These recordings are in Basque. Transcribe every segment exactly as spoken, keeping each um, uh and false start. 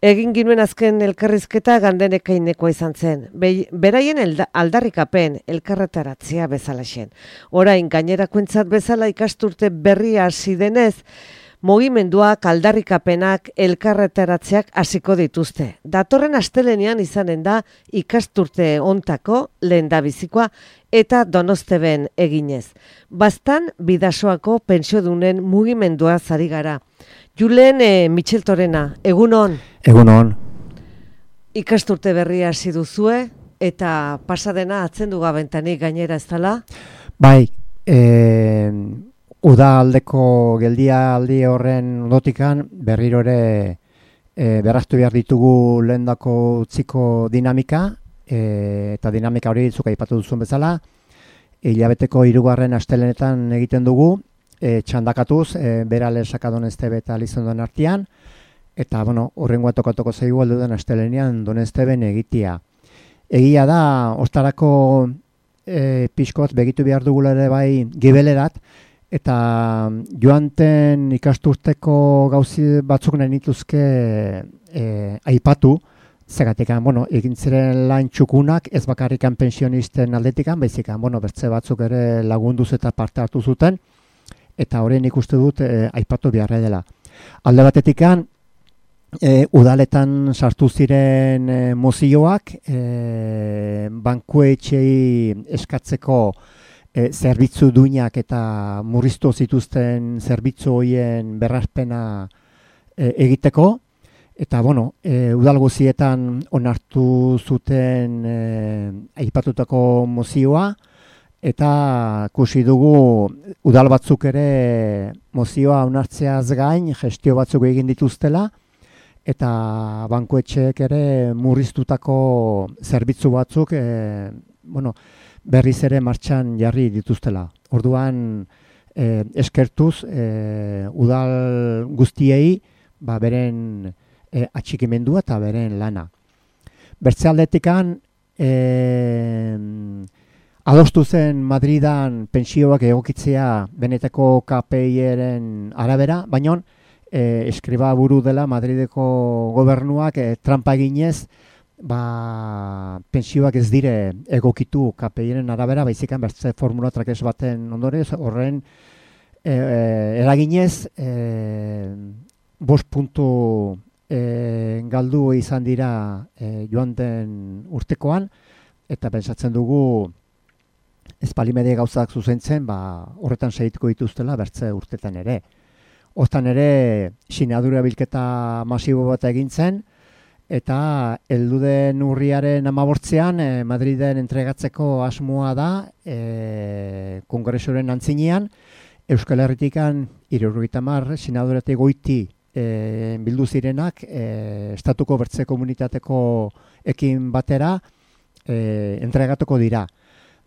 Egin ginuen azken elkarrizketa Gandenekainekoa izan zen. Be, beraien elda, aldarrikapen elkarretaratzea bezala zen. Orain gainerakoentzat bezala ikasturte berria hasi denez, mugimenduak, aldarrikapenak, elkarretaratzeak hasiko dituzte. Datorren astelenean izanen da ikasturte hontako lehendabizikoa eta Donosteben eginez. Bastan Bidasoako pentsiodunen mugimendua zari gara. Julen e, Micheltorena, egunon? Egunon. Ikasturte berria hasi duzue eta pasadena atzendu gabentanik gainera ez dela? Bai, e, uda aldeko geldia aldi horren ondotikan berriro ere e, berraztu behar ditugu lehendako utziko dinamika, e, eta dinamika hori zuk aipatu duzun bezala, hilabeteko hirugarren astelenetan egiten dugu, E, txandakatuz, e, berale sakadonestebe eta Lizondon artean, eta, bueno, horrengoa tokatuko zaigu alduden astelenean Donesteben egitea. Egia da, ostarako e, pixkot begitu behar dugula ere bai gibelerat, eta joanten ikasturteko gauzi batzuk nahi nituzke e, aipatu, zegatik, bueno, egin ziren lan txukunak, ez bakarrikan pensionisten aldetikan, baizikan, bueno, bertze batzuk ere lagunduz eta parte hartu zuten, eta horren ikuste dut e, aipatu beharra dela. Alde batetikan, e, udaletan sartu ziren e, mozioak, e, bankuetxei eskatzeko e, zerbitzu duinak eta murriztu zituzten zerbitzu horien berrazpena e, egiteko, eta bueno, e, udal guzietan onartu zuten e, aipatutako mozioa, eta ikusi dugu udal batzuk ere mozioa onartzeaz gain gestio batzuk egin dituztela, eta bankuetxeek ere murriztutako zerbitzu batzuk e, bueno, berriz ere martxan jarri dituztela. Orduan e, eskertuz e, udal guztiei ba, beren e, atxikimendua eta beren lana. Bertze aldetikan e, adostu zen Madridan pentsioak egokitzea benetako K P I-eren arabera, baina e, eskriba buru dela Madrideko gobernuak e, trampa eginez, ba, pentsioak ez dire egokitu K P I-eren arabera, baizikan bertze formula trakes baten ondorez, horren e, e, eraginez, e, bost puntu e, galdu izan dira e, joan den urtekoan, eta pentsatzen dugu ezpalimede gauzak zuzentzen, ba, horretan segituko dituztela bertze urtetan ere. Hortan ere, sinadura bilketa masibo bat egin zen, eta helduden urriaren hamabortzean e, Madriden entregatzeko asmoa da, e, kongresoren antzinean, Euskal Herritikan hirurogeita hamar sinaduratik goiti e, bildu zirenak, e, estatuko bertze komunitateko ekin batera e, entregatuko dira.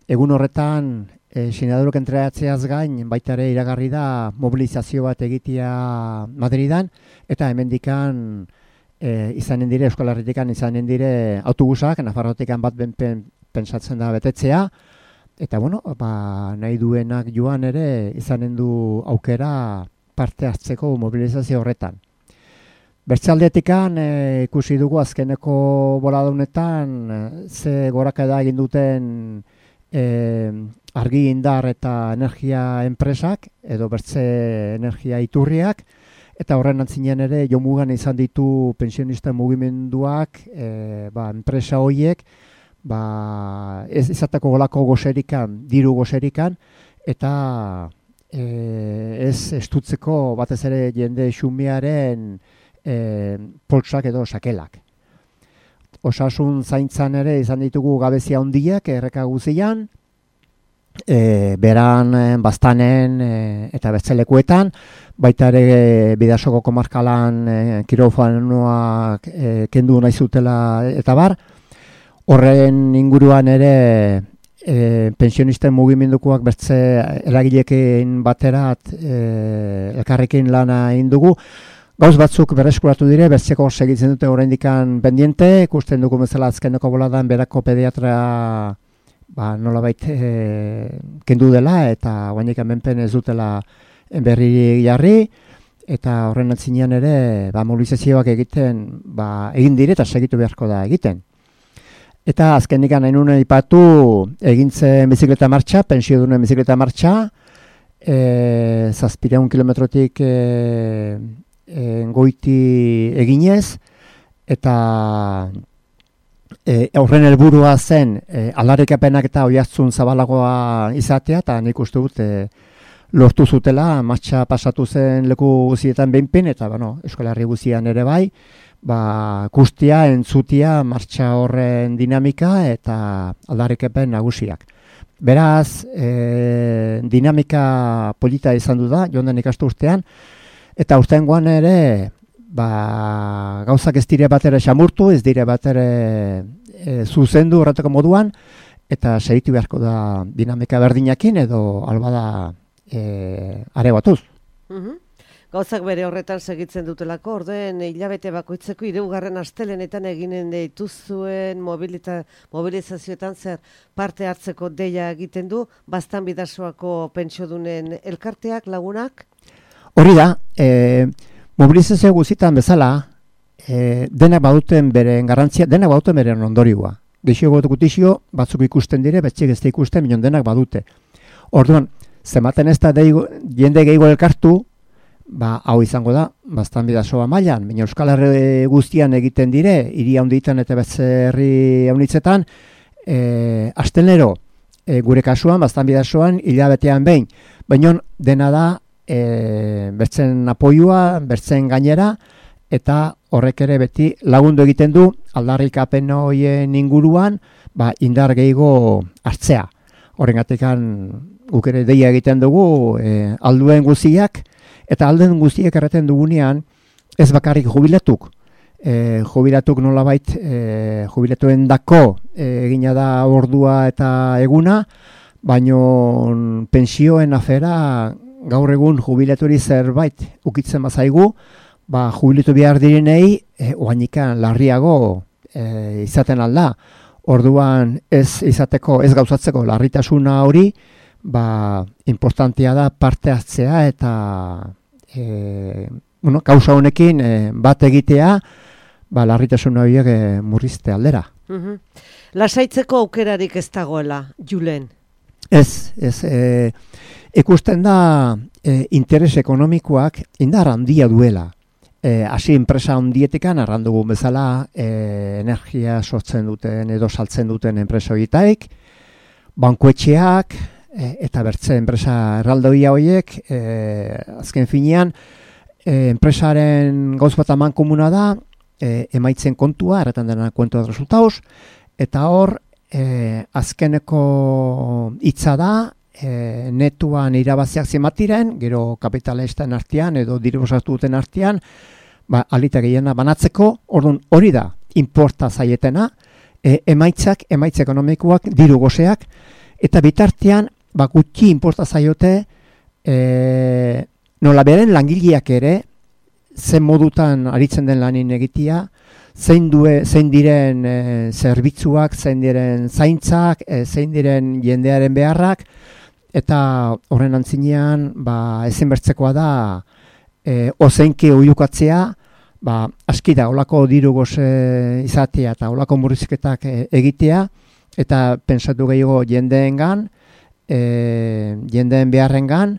Egun horretan, e, sinadurok entregatzeaz gain, baita ere iragarri da mobilizazio bat egitea Madridan, eta hemendikan e, izanen dire, Euskal Herritikan izanen dire autobusak, Nafarrotikan bat ben, pen, pensatzen da betetzea, eta bueno, ba, nahi duenak joan ere izanen du aukera parte hartzeko mobilizazio horretan. Bertzealdetikan e, ikusi dugu azkeneko boladaunetan ze gorakada egin duten E, argi indar eta energia enpresak, edo bertze energia iturriak, eta horren antzinean ere jomugan izan ditu pensionisten mugimenduak, e, ba, enpresa horiek, ba, ez izateko golako goserikan, diru goserikan, eta e, ez estutzeko batez ere jende xumearen e, poltsak edo sakelak. Osasun zaintzan ere izan ditugu gabezia handiak erreka guzian, e, beran, bastanen e, eta bertzelekuetan, baita ere e, Bidasoko komarkalan e, kirofanoak e, kendu nahi zutela eta bar. Horren inguruan ere e, pensionisten mugimendukoak bertze eragileekin baterat e, elkarrekin lana egin dugu. Gauz batzuk berreskuratu dire, bertzeko segitzen dute oraindikan pendiente, ikusten dugu bezala azkeneko boladan berako pediatra ba, nolabait e, kendu dela eta oraindik hemenpen ez dutela berri jarri, eta horren antzinean ere ba, mobilizazioak egiten ba, egin dire eta segitu beharko da egiten. Eta azkenik nahi nuen ipatu egintzen bizikleta martxa, pensio duen bizikleta martxa, e, zazpireun kilometrotik e, e, goiti eginez, eta e, horren helburua zen e, aldarrikapenak eta oihartzun zabalagoa izatea, eta nik uste dut e, lortu zutela, martxa pasatu zen leku guztietan behinpin, eta bueno, Euskal Herri guztian ere bai, ba, guztia, entzutia, martxa horren dinamika eta aldarrikapen nagusiak. Beraz, e, dinamika polita izan du da, joan den ikastu urtean, eta urteangoan ere, ba, gauzak ez dire bat ere xamurtu, ez dire bat ere e, zuzendu horretako moduan, eta segitu beharko da dinamika berdinakin edo albada e, are batuz. Mhm. Gauzak bere horretan segitzen dutelako, ordeen hilabete bakoitzeko hirugarren astelenetan eginen dituzuen mobilita, mobilizazioetan zer parte hartzeko deia egiten du, Baztan Bidasoako pentsiodunen elkarteak, lagunak? Hori da, e, mobilizazio guztietan bezala, e, denak baduten beren garrantzia, denak baduten beren ondorioa. Geixio gutizio, batzuk ikusten dire, betxik ez da ikusten, minon denak badute. Orduan, zematen ez da deigo, jende gehiago elkartu, ba, hau izango da, Baztan Bidasoa mailan, baina Euskal Herri guztian egiten dire, hiri handitan eta beste herri haunitzetan, e, astelero, e, gure kasuan, Baztan Bidasoan, hilabetean behin, baina dena da, e, bertzen apoioa, bertzen gainera, eta horrek ere beti lagundu egiten du, aldarrikapen horien inguruan, ba, indar gehiago hartzea. Horregatikan guk ere deia egiten dugu, e, alduen guztiak, eta alden guztiek erraten dugunean, ez bakarrik jubilatuk. E, jubilatuk nolabait, e, jubilatuen dako e, egina da ordua eta eguna, baino pensioen afera gaur egun jubilaturi zerbait ukitzen bazaigu, ba, jubilatu behar direnei, e, oainikan larriago e, izaten alda. Orduan ez izateko, ez gauzatzeko larritasuna hori, ba, importantea da parte hartzea eta e, bueno, kausa honekin e, bat egitea, ba, larritasun horiek e, murrizte aldera. Mm-hmm. Lasaitzeko aukerarik ez dagoela, Julen? Ez, ez. E, ikusten da e, interes ekonomikoak indar handia duela. E, hasi enpresa handietekan, arrandugu bezala, e, energia sortzen duten edo saltzen duten enpresa horietaik, bankuetxeak, e, eta bertze enpresa erraldoia horiek, e, azken finean, e, enpresaren gauz bat aman komuna da, e, emaitzen kontua, erretan dena kuento de resultados, eta hor, e, azkeneko hitza da, e, netuan irabaziak zematiren, gero kapitalisten artean edo diribosatu duten artean, ba, alita gehiena banatzeko, orduan hori da, inporta zaietena, e, emaitzak, emaitz ekonomikoak, diru gozeak, eta bitartean, ba, gutxi inporta zaiote, e, nola beren langileak ere, zen modutan aritzen den lanin egitea, zein, due, zein diren e, zerbitzuak, zein diren zaintzak, e, zein diren jendearen beharrak, eta horren antzinean, ba, ezin bertzekoa da, E, ozenki oiukatzea, ba, aski da, olako diru goze izatea eta olako murrizketak e, egitea, eta pentsatu gehiago jendeengan, e, jendeen beharrengan,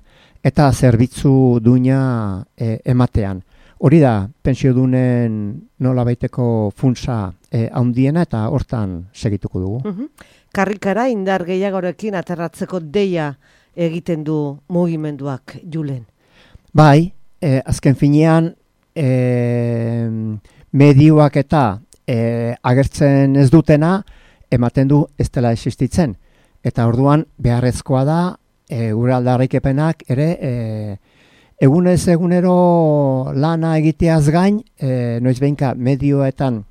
eta zerbitzu duina e, ematean. Hori da, pensiodunen nola baiteko funtsa e, handiena eta hortan segituko dugu. Uh-huh. Karrikara indar gehiagorekin aterratzeko deia egiten du mugimenduak, Julen? Bai, E, azken finean e, medioak eta e, agertzen ez dutena ematen du ez dela existitzen. Eta orduan beharrezkoa da e, gure aldarrikepenak ere e, egunez egunero lana egiteaz gain e, noiz behinka medioetan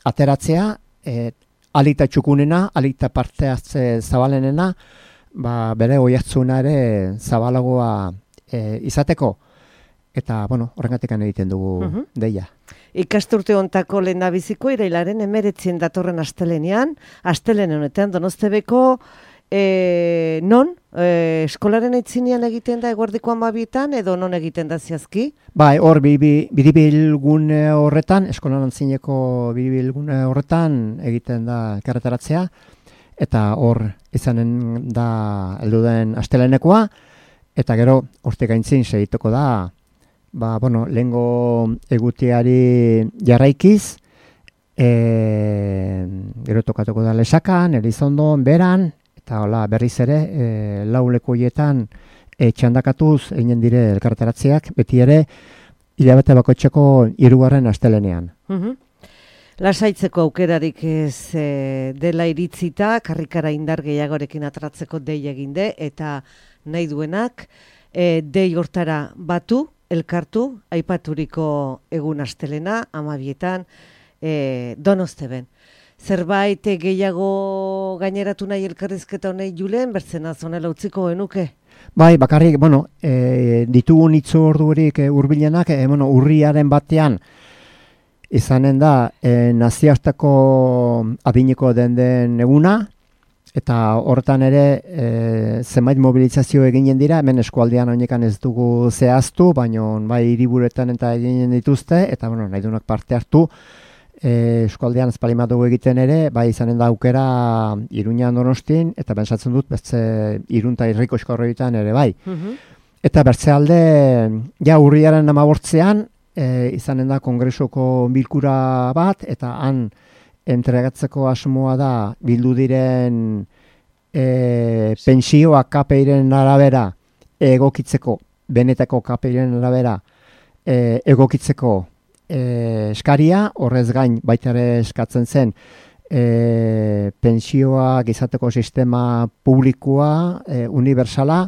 ateratzea, e, alita txukunena, alita parte hartze zabalenena, ba, bere oihartzuna ere zabalagoa e, izateko. Eta, bueno, horrengatik egiten dugu uh-huh. deia. Ikasturte hontako lehendabiziko irailaren emeretzien datorren astelenean, astelene honetan Donostebeko e, non? E, eskolaren aitzinean egiten da eguerdiko hamabietan edo non egiten da zehazki? Bai, hor biribilgune horretan, eskolan antzineko biribilgune horretan egiten da elkarretaratzea, eta hor izanen da heldu den astelenekoa, eta gero hortik gaintzin segituko da, ba, bueno, lehengo egutiari jarraikiz, e, gero tokatuko da Lesakan, Elizondon, Beran, eta hola berriz ere, e, lau lekuietan e, txandakatuz eginen dire elkarteratzeak, beti ere hilabete bakoitzeko hirugarren astelenean. Mhm. Lasaitzeko aukerarik ez e, dela iritzita, karrikara indar gehiagorekin atratzeko dei eginde, eta nahi duenak e, dei hortara batu, elkartu, aipaturiko egun astelena, hamabietan, e, Donosteben. Zerbait gehiago gaineratu nahi elkarrizketa honei Julen, bertzena zonela utziko genuke? Bai, bakarrik, bueno, e, ditugun itzordurik e, hurbilenak, e, bueno, urriaren batean, izanen da e, nazioarteko adineko den den eguna, eta horretan ere e, zenbait mobilizazio eginen dira, hemen eskualdean honekan ez dugu zehaztu, baina bai hiriburuetan eta eginen dituzte, eta bueno, nahi duenak parte hartu, e, eskualdean ezpalima dugu egiten ere, bai izanen da aukera Iruñan Donostin, eta pentsatzen dut beste Irun eta Irriko eskorroietan ere bai. Mhm. Eta bertze alde, ja urriaren hamabortzean, E, izanen da kongresoko bilkura bat, eta han entregatzeko asmoa da bildu diren e, pensioak kapeiren arabera egokitzeko, benetako kapeiren arabera e, egokitzeko e, eskaria, horrez gain baita ere eskatzen zen e, pensioak izateko sistema publikoa, e, universala,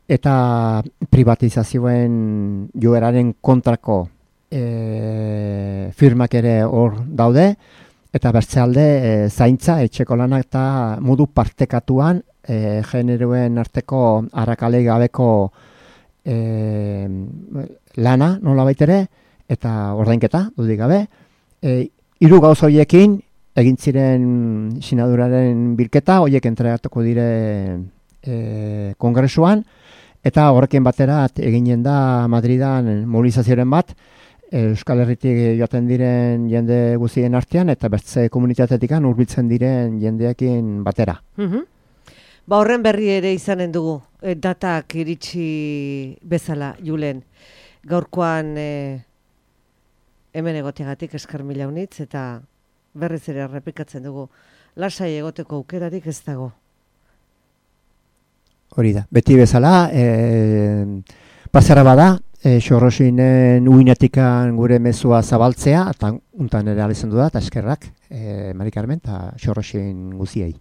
eta privatizazioen joeraren kontrako e, firmak ere hor daude, eta bertze alde e, zaintza, etxeko lanak eta modu partekatuan e, generoen arteko arrakalei gabeko e, lana nola baitere, eta ordainketa, dudik gabe. E, hiru gauz horiekin egin ziren sinaduraren bilketa, horiek entregatuko dire e, kongresuan, eta horrekin batera eginen da Madridan mobilizazioaren bat, Euskal Herritik joaten diren jende guztien artean, eta bertze komunitatetik hurbiltzen diren jendeekin batera. Mhm. Ba horren berri ere izanen dugu, e, datak iritsi bezala, Julen. Gaurkoan e, hemen egoteagatik eskar mila unitz, eta berriz ere errepikatzen dugu. Lasai egoteko aukerarik ez dago. Hori da, beti bezala, e, pasara bada, e, Xorroxinen uinetikan gure mezua zabaltzea, eta untan ere alizan du da, eta eskerrak, e, Mari Carmen, eta Xorroxin guziei.